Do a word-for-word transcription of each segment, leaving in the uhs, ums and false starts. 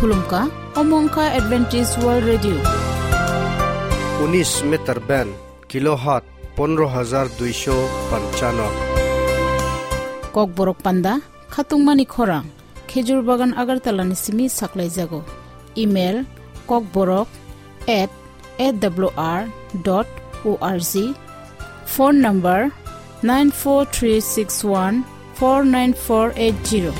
Khulumkha, omo wngkha Adventist World Radio. Unis meter band, kilohertz pondro hajar duisho panchano. Kokborok panda, khatungmani khorang, Khejur Bagan Agartala ni simi saklaijago. Email, kokborok at A W R dot O R G. Phone number nine four three six one four nine four eight zero.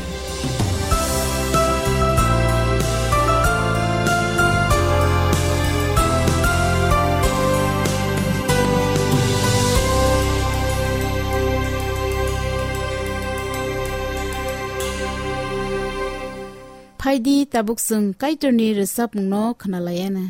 Phaidi tabuk chwng Kaitorni rwchapmungno khwnalaiana.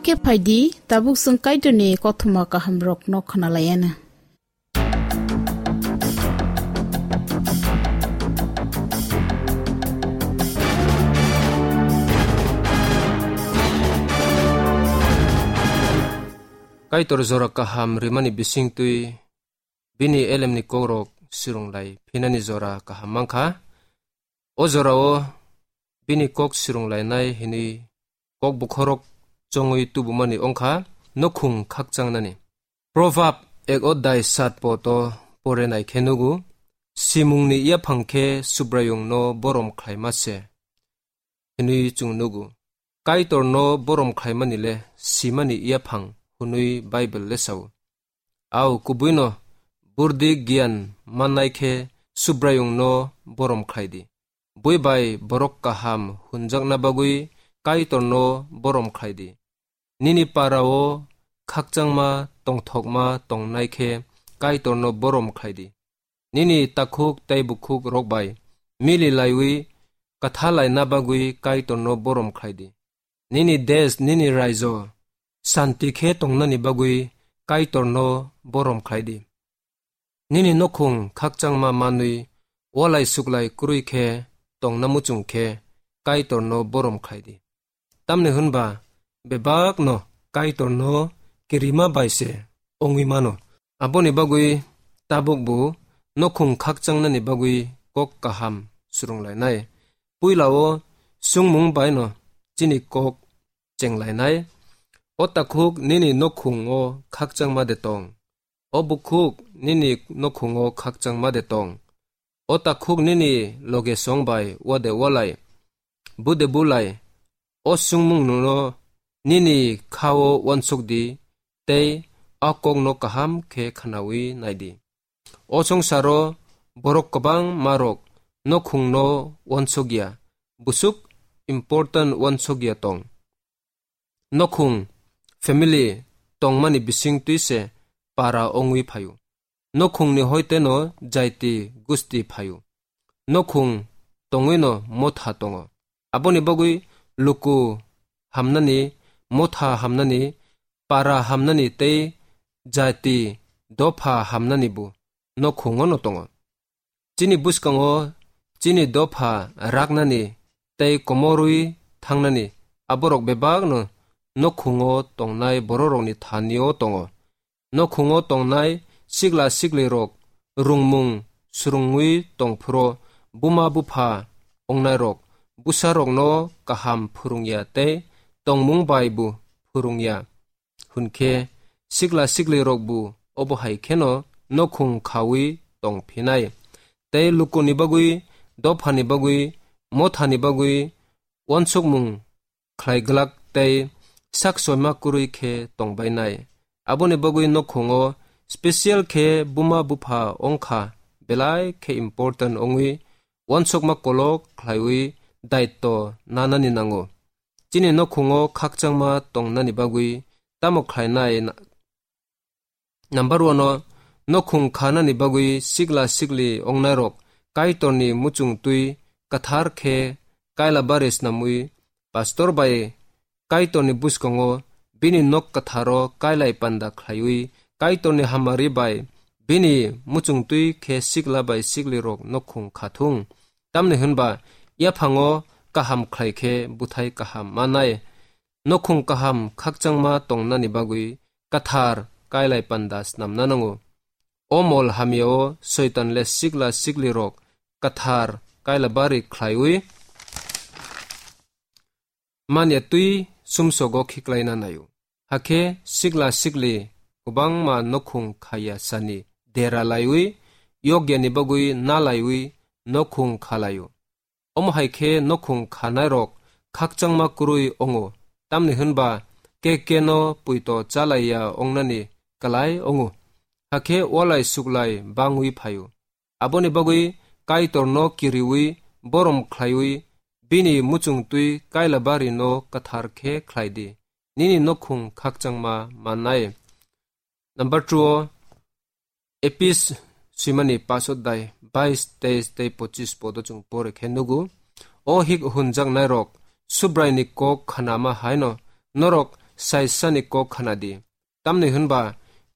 Khe phai di, tabuk chwng Kaitorni kothoma kahamrokno khna lai anw. Kaitor jora kaham rimani bisingtwi bini elemni kokrok swrwng lai phinani jora kaham man kha. O jorao bini kok swrwng lainai hwnwi kok bokhorok chongwi tubumani wng kha nokhung khakchangnani. Proverb ek odhai sat podo pore nai khe nugo, simungni yaphang khe Subraiyungno borom khlaima se hwnwi chwng nugo. Kaitorno borom khlaimani le simani yaphang hwnwi Bible le sao. Au kubuino burdi giyan mannai khe Subraiyungno borom khlai di. Bui bai borok kaham hwnjakna bagwi Kaitorno borom khlai di. Nini parao khakchangma tongthokma tongnai khe Kaitorno borom khlai di. Nini takhuk tei bukhuk rok bai mili laiwi katha laina bagwi Kaitorno borom khlai di. Nini desh, nini raijo santi khe tongnani bagwi Kaitorno borom khlai di. Nini nokhung khakchangma manwi walai suklai kwrwi khe tongna muchung khe Kaitorno borom khlai di. Tamni hwnba bebakno Kaitorno kirima bai se wngwi mano. Aboni bagwi tabukbo nokhung khakchangnani bagwi kok kaham swrwnglainai. Puilao chwngmung baino chini kok chenglainai. O takhuk nini nokhungo khakchangma de tong. O bukhuk nini nokhungo khakchangma de tong. O takhuk nini loge song bai wade walai, bude bulai, o swngmung nono nini khao wansuk di, tei a kokno kaham khe khnawi nai di. O songsaro borok kwbangma rok nokhungno wansuk ya, busuk important wansuk ya tong. Nokhung, family, tongmani bisingtwi se para wngwi phaio. Nokhungni hoiteno jaiti gusti phaio. Nokhung tongwino motha tongo. Aboni bagwi luku hamnani, motha hamnani, para hamnani tei jaiti dopha hamnani bo nokhungono tongo. Chini bwskango chini dopha raknani tei komorwi thangnani aborok bebakno nokhungo tongnai bororokni thanio tongo. Nokhungo tongnai sikla siklirok rungmung swrwngwi tongphuru buma bupha wngnairok bwsarokno kaham phwrwngya tei tongmung bai bo phwrwngya. Hwnkhe sikla siklirokbo obo hai kheno nokhung khawi tongphinai. Tei lukuni bagwi, dophani bagwi, mothani bagwi uansukmung khlai glak tei sak soima kwrwi khe tongbainai. Aboni bagwi nokhungo special khe buma bupha wngkha belai khe important wngwi uansukma kolok khlaiwi daitto nanani nango. Chini nokhungo khakchangma tongnani bagwi tamo khlainai na-, number one o nokhung khanani bagwi sikla sikli wngnairok Kaitorni muchungtwi kwthar khe kaila bari snamwi pastor bai Kaitorni bwskango bini nok kwtharo kailai panda khlaiwi Kaitorni hamari bai bini muchungtwi khe sikla bai siklirok nokhung khathung. Tamni hwnba yaphango kaham khlai khe bwthai kaham manai. Nokhung kaham khakchangma tongnani bagwi kathar kailai panda snamna nango. O mol hamyao Soitan le sikla siklirok kathar kaila bari khlaiwi manya twi sumsogo khiklaina naio. Hakhe sikla sikli kwbangma nokhung khaya sani dera laiwi yogyani bagwi nalaiwi nokhung khalaio. Omo hai khe nokhung khanairok khakchangma kwrwi wngo, tamni hwnba ke keno puito chalaiya wngnani kwlai wngo, hakhe walai suklai bangwi phaio. Aboni bagwi Kaitorno kiriwi borom khlaiwi bini muchungtwi kaila barino kwthar khe khlai di, nini nokhung khakchangma mannai. Number two o, Epis swimani paso dai bais, teis tei pochis podo chwng pore khe nugo. O hik hunjaknairok Subraini kok khanama haino norok saisani kok khna di. Tamni hwnba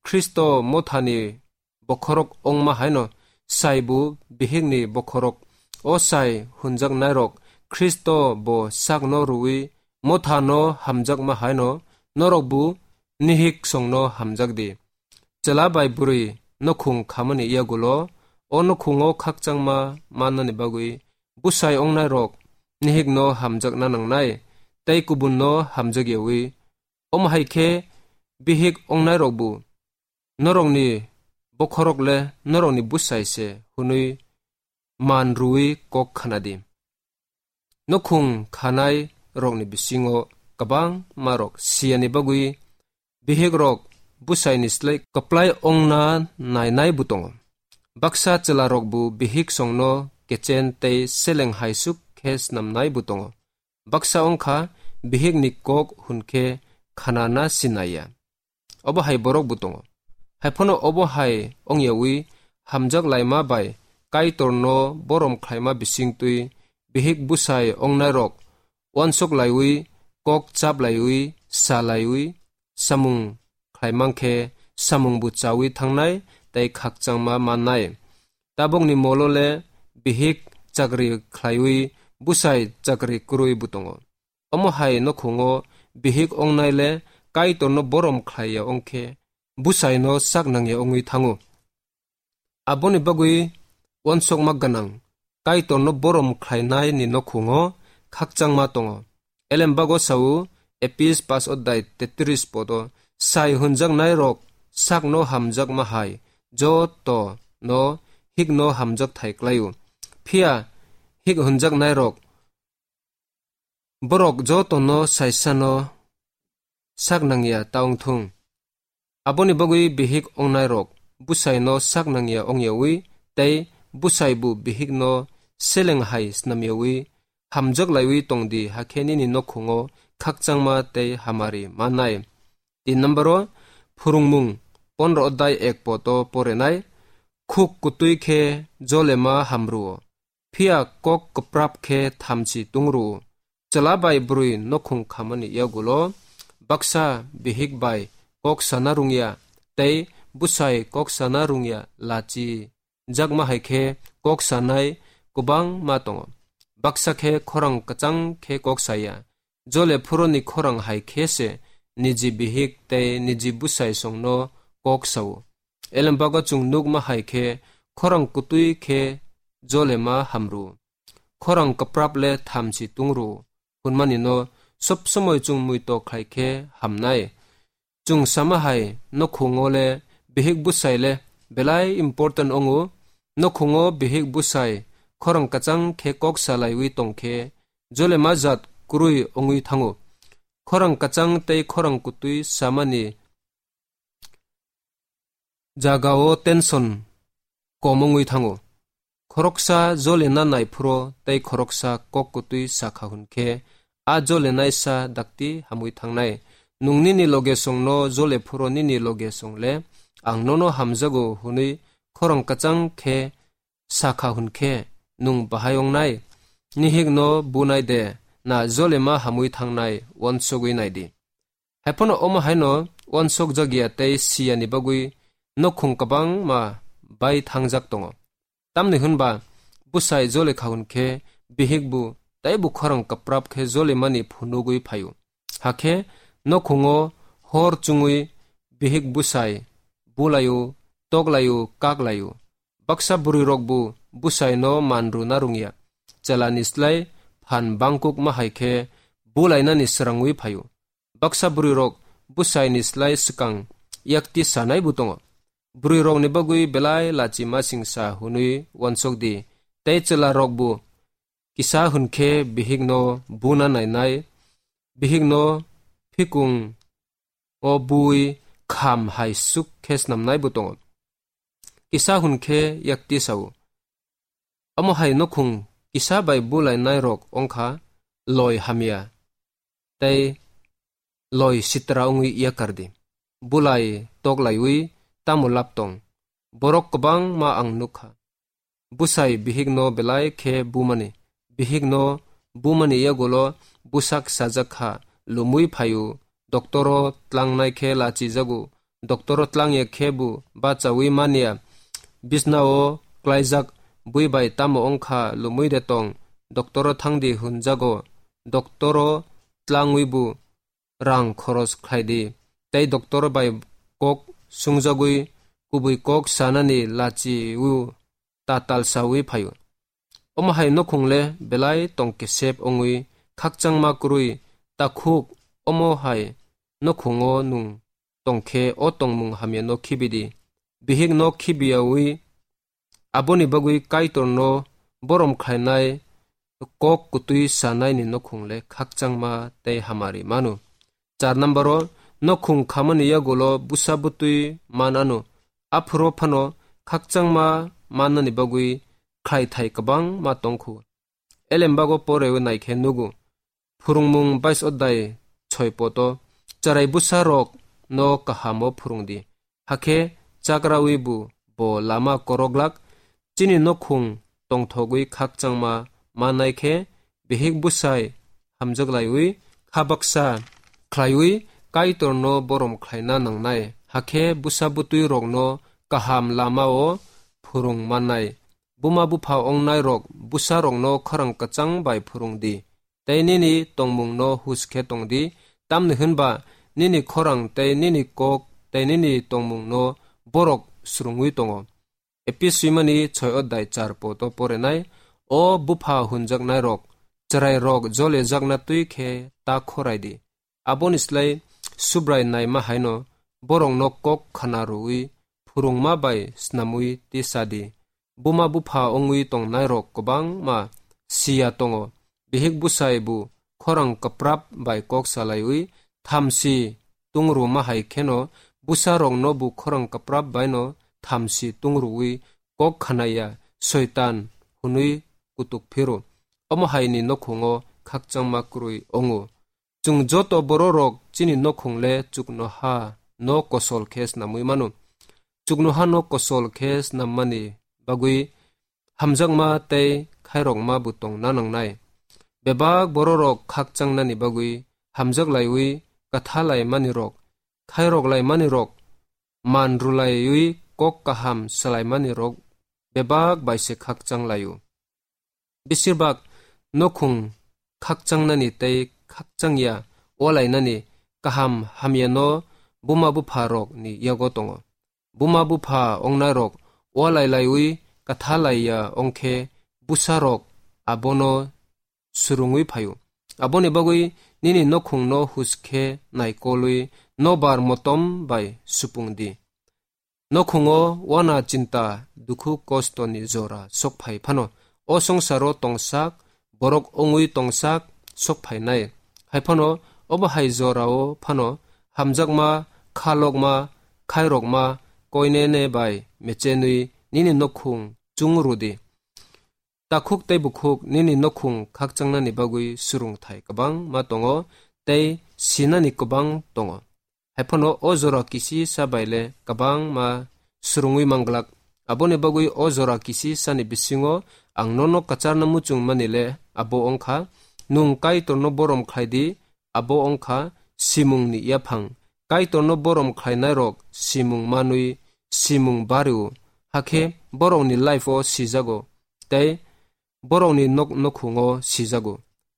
Khristo mothani bokhorok ongma haino saibo bihikni bokhorok. O sai hunjaknairok, Khristo bo sakno rwui mothano hamjakma haino norokbo nihik songno hamjak di. Chwla bai bwrwi nukhung khamani yagulo o nukhungo khakchangma mannani bagwi bwsai ongnairok nihikno hamjakna nangnai, tei kubunno hamjakyawi. Omo hai khe bihik ongnairokbo norokni bokhorok le norokni bwsai se hwnwi man rwui kok khna di. Nukhung khanai rokni bisingo kwbangma rok siyani bagwi bihik rok bwsaini slai kwplai ongna nainai bo tongo. Baksa chwla rokbo bihik songno kechen tei seleng haisuk khe snamnai bo tongo. Baksa wngkha bihikni kok hwn khe khanana sinaya. Obo hai borok bo tongo. Haiphano obo hai ongyawi hamjak laima bai Kaitorno borom khlaima bisingtwi bihik bwsai ongnairok uansuk laiwi, kok chap laiwi, sa laiwi, samung khlaimang khe samungbo chawi thangnai tei khakchangma mannai. Tabukni molo le bihik chakri khlaiwi bwsai chakri kwrwi bo tongo. Omo hai nukhungo bihik ongnai le Kaitorno borom khlaiya ongkhe bwsaino sak nangya ongwi thango. Aboni bagwi uansukma gwnang Kaitorno borom khlainaini nukhungo khakchangma tongo. Elembago sao Epis pas odai tetris podo, sai hunjaknai rok sakno hamjakma hai joto no hikno hamjak thai klaio. Phiya hik hunjaknai rok borok jotono saisano sak nangya ta wngthung. Aboni bagwi bihik ongnairok bwsaino sak nangya ongyawi tei bwsaibo bihikno seleng hai snamyawi hamjak laiwi tongdi, hakhe nini nukhungo khakchangma tei hamari mannai. Tin number o phwrwngmung pondro odai ek poto porenai, khuk kutui khe jolema hamruo. Phiya kok kwprap khe thamchi tungru. Chwla bai bwrwi nukhung khamani yagulo baksa bihik bai kok sana rungya tei bwsai kok sana rungya lachi jakma hai khe kok sanai kwbangma tongo. Baksa khe khorang kwchang khe kok saya. Jole phuroni khorang hai khe se niji bihik tei niji bwsai songno kok sao. Elembago chwng nukma hai khe khorang kutui khe jolema hamru. Khorang kwprap le thamchi tungru hwnmani no sob somoi chwng muito khlai khe hamnai. Chwng sama hai nukhungo le bihik bwsai le belai important wngo. Nukhungo bihik bwsai khorang kwchang khe kok salaiwi tong khe jolema jat kwrwi wngwi thango. Khorang kwchang tei khorang kutui samani jagao tension kom wngwi thango. Khoroksa jolena nai phuro tei khoroksa kok kutui sakha hwn khe a jolenai sa dakti hamwi thangnai. Nwng nini loge songno jole phuro nini loge song le ang nono hamjago hwnwi khorang kwchang khe sakha hwn khe nwng bahai wngnai? Nihikno bunai de na jolema hamwi thangnai uansugwi nai di. Haiphano omo haino uansuk jakya tei siyani bagwi nukhung kwbangma bai thangjak tongo. Tamni hwnba bwsai jole kha hwn khe bihik bu tei bu khorang kwprap khe jolemani phunugwi phaio. Hakhe nukhungo hor chwngwi bihik bwsai bulaio, toklaio, kaklaio. Baksa bwrwirokbo bwsaino man rwna rwngya. Chelani slai phan bangkukma hai khe bulainani srangwi phaio. Baksa bwrwirok bwsaini slai swkang yakti sanaibo tongo. Bwrwirokni bagwi belai lachi masingsa hwnwi uansuk di, tei chwlarokbo kisa hwn khe bihikno buna nainai, bihikno phikung o bui kham hai suk khe snamnaibo tongo. Kisa hwn khe yakti sao. Omo hai nukhung kisa bai bulainairok wngkha loi hamya tei loi sitra wngwi yakar di. Bulai toklaiwi tamo lab tong? Borok kwbangma ang nukha. Bwsai bihikno belai khe bumani. Bihikno bumani yagulo bwsak sajak kha, lumwi phaio, doktoro tlangnai khe lachijago. Doktoro tlangya khe bo bachaui manya. Bisnao klaijak bui bai tamo wngkha lumui de tong, doktoro thangdi hwnjago. Doktoro tlangwi bo rang khoros khlai di, tei doktoro bai kok sungjagwi kubui kok sanani lachiui ta talsaui phaio. Omo hai nokhung le belai tong kesep wngwi khakchangma kwrwi takhuk, omo hai nokhungo nwng tong khe o tongmung hamyano khibi di. Bihikno khibiyaui aboni bagwi Kaitorno borom khlainai kok kwtwi sanaini nokhung le khakchangma tei hamari mano. Char nambaro, nokhung khamani yagulo bwsa bwtwi man ano, aphuru phano khakchangma mannani bagwi khlaithai kwbangma tongkhu. Elembago porewi naikhe nugo, phwrwngmung bais odai soi poto, chwrai bwsarokno kahamo phwrwngdi, hakhe chakrawi bo, bo lama koroglak. Chini nokhung tongthogwi khakchangma mannai khe, bihik bwsai hamjaklaiwi kha baksa khlaiwi Kaitorno borom khlaina nangnai, hakhe bwsa bwtwi rokno kaham lamao phwrwng mannai. Buma bupha ongnairok bwsarokno khorang kwchang bai phwrwng di, tei nini tongmungno hus khe tong di, tamni hwnba nini khorang tei nini kok tei nini tongmungno borok swrwngwi tongo. Epis swimani soi odai char poto porenai, o bupha hwnjaknairok, chwrairok jole jakna twi khe ta khorai di. Aboni slai Subrai naima haino borokno kok khana rwui phwrwngma bai snamwi tisa di. Buma bupha wngwi tongnairok kwbangma siya tongo. Bihik bwsai bo khorang kwprap bai kok salaiwi thamsi tungruma hai kheno bwsarokno bo khorang kwprap baino thamsi tungrui kok khanaya Soitan hwnwi kutuk phiro. Omo haini nokhungo khakchangma kwrwi wngo. Chwng joto bororok chini nokhung le chuknoha no kosol khe snamwi mano. Chuknoha no kosol khe snammani bagwi hamjakma tei khairokma bo tongna nangnai. Bebak bororok khakchangnani bagwi hamjaklaiwi, kathalaimanirok, khairoklaimanirok, man rwlaiwi kok kaham swlaimanirok bebak bai se khakchanglaio. Besirbak nokhung khakchangnani tei khakchangya walainani kaham hamyano buma bupharokni yago tongo. Buma bupha ongnairok walailaiwi kathalaiya ongkhe bwsarok abono swrwngwi phaio. Aboni bagwi nini nokhungno hus khe naikolwi nobar motom bai supung di. Nokhungo wana chinta dukhu kostoni jora sok phai phano, o songsaro tongsak borok wngwi tongsak sok phainai. Hai phano obo hai jorao phano hamjakma, khalokma, khairokma, koinene bai mechenwi nini nokhung chung rwdi. Takhuk tei bukhuk nini nokhung khakchangnani bagwi swrwngthai kwbangma tongo tei sinani kwbang tongo. Hai phano o jora kisi sa bai le kwbangma swrwngwi manglak. Aboni bagwi o jora kisi sani bisingo ang nono kwcharno muchung mani le abo wngkha, nwng Kaitorno borom khlai di, abo wngkha simungni yaphang. Kaitorno borom khlainairok simung manwi simung bario, hakhe borokni life-o sijago tei borokni nok-, nokhungo sijago.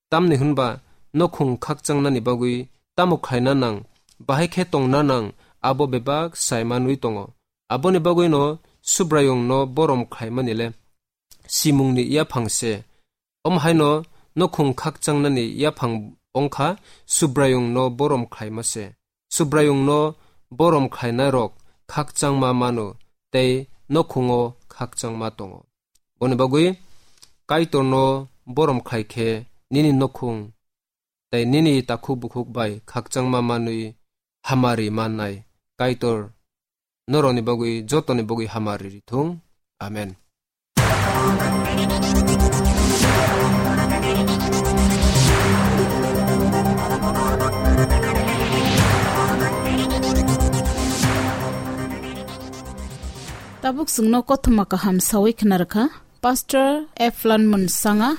Tamni hwnba nokhung khakchangnani bagwi tamo khlaina nang, bahai khe tongna nang, abo bebak sai manwi tongo. Aboni bagwino Subraiyungno borom khlaimani le simungni yaphang se. Omo haino nokhung khakchangnani yaphang wngkha Subraiyungno borom khlaima se. Subraiyungno borom khlainairok khakchangma mano tei nokhungo khakchangma tongo. Boni bagwi Kaitorno borom khlai khe nini nokhung tei nini takhuk bukhuk bai khakchangma manwi hamari mannai. Kaitor norokni bagwi, jotoni bagwi hamari rithung. Amen. Tabuk chwngno kothoma kaham sawi khna rwkha. Pastor Eflan Munsanga.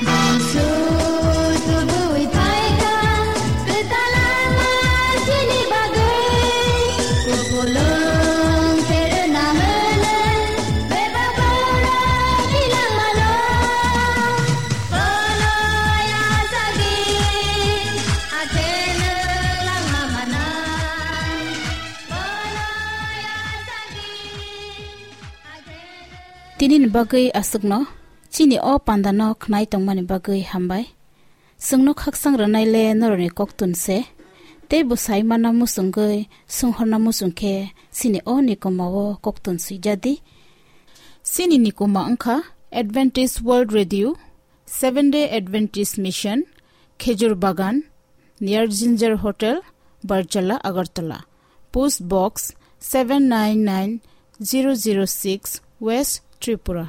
Jisu tubui phaikha, kwtal ama chini bagwi, kupulung terna hwnwi, bebak borok thwilangmano. Bono yachakdi, akheno langma manai. Bono yachakdi, akheno. Tinini bagwi aswkno, chini o pandano khnai tongmani bagwi hambai. Chwngno khakchang rwnaile norokni koktun se, tei bo saimana muchungwi, sunghorna muchung khe, chini o nikoma o koktun swijadi. Chini nikoma wngkha Adventist World Radio, Seventh Day Adventist Mission, Khejur Bagan, near Ginger Hotel, Barjala, Agartala. Post Box seven nine nine zero zero six, West Tripura.